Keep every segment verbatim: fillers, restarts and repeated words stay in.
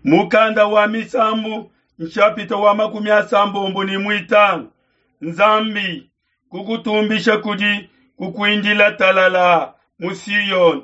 Mukanda wa Misambu nshapita wa makumi asambombo ne muitanu. Nzambi kukutumbisha kudi kukuindila talala mu Siyoni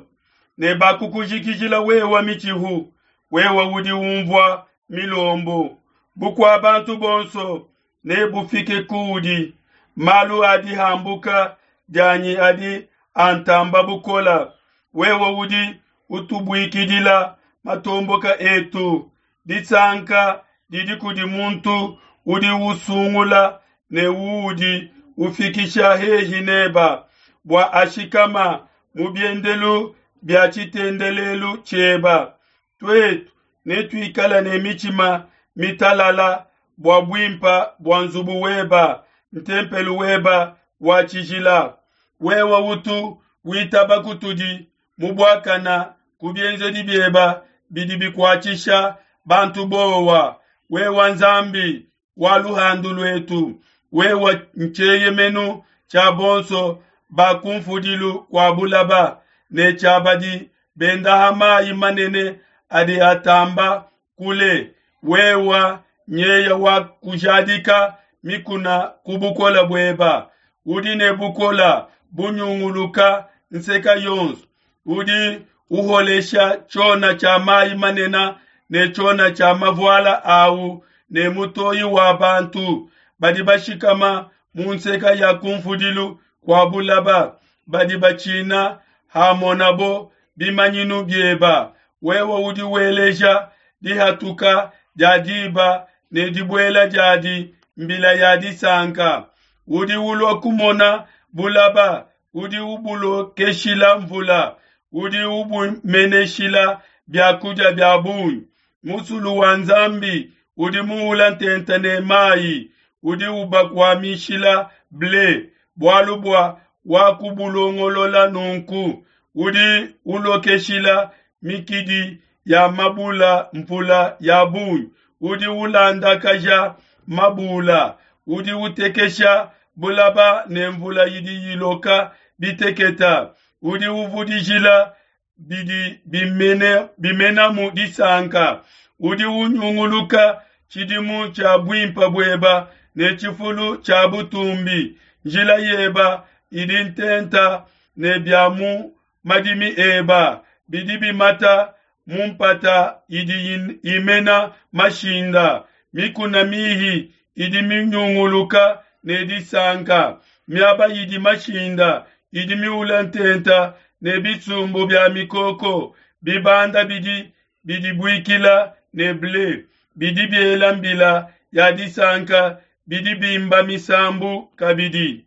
ne bakukujikijila wewa mitshihu, wewa udi umvua milombo. Bukua bantu bonso nebufike kuudi. Malu a dihambuka dianyi adi antamba bukola. Wewe udi utubuikidila matomboka etu. Disanka didi kudi muntu udi usungula ne uudi ufikisha hehi neba, bua ashikama mu biendelu bia tshitendelelu tshieba. Tuetu netuikale ne mitshima mitalala bua buimpa bua nzubu weba, ntempelu weba wa tshijila. Wewe utu witaba kutudi mu buakana ku bienzedi bieba bidi bikuatshisha bantu bowa. Wewe Nzambi wa luhandu luetu, wewe ntshieyemenu tshia bonso ba kumfudilu kua bulaba ne tshia badi bendaha mayi manene adi atamba kule. Wewe nyeya wa kujadika mikuna ku bukola bueba, udi ne bukola bunyunguluka nseka yonso, udi uholesha tshiona tshia mayi manene ne tshiona tshia mavuala awu ne mutoyi wa bantu badi bashikama mu nseka ya kumfudilu kua bulaba, badi batshina hamonabo bimanyinu bieba. Wewe udi weleja dihatuka dia diba ne dibuela diadi mbila ya disanka. Udi ulua kumona bulaba, udi ubulokeshila mvula, udi ubumeneshila biakudia bia bungi. Musulu wa Nzambi udi muula ntenta ne mayi, udi ubakuamishila ble, bualu bua wakubulongolola nunku. Udi ulokeshila mikidi ya mabula mvula ya bungi, udi ulandakaja mabula, udi utekesha bulaba ne mvula idi iloka biteketa, udi uvudijila bidi bimene bimenamu disanka, udi unyunguluka tshidimu tshia buimpa bueba ne tshifulu tshia butumbi. Njila yeba idi ntenta ne bia mu madimi eba bidi bimata mu mpata idi imena mashinda. Mikuna mihi idi minyunguluka ne disanka, miaba idi mashinda idi miula ntenta ne bisumbu bia mikoko. Bibanda bidi bidibuikila ne ble, bidi biela mbila ya disanka, bidi bimba misambu kabidi.